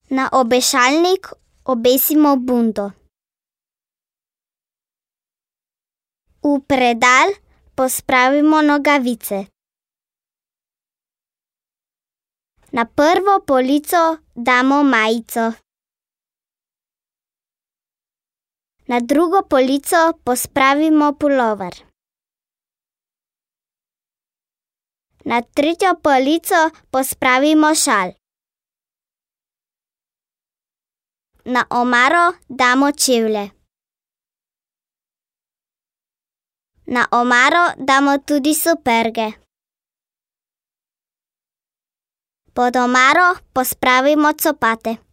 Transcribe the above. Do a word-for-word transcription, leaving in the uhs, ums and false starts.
Na obešalnik obesimo bunto. V predal pospravimo nogavice. Na prvo polico damo majico. Na drugo polico pospravimo pulover. Na tretjo polico pospravimo šal. Na omaro damo čevlje. Na omaro damo tudi superge. Pod omaro pospravimo copate.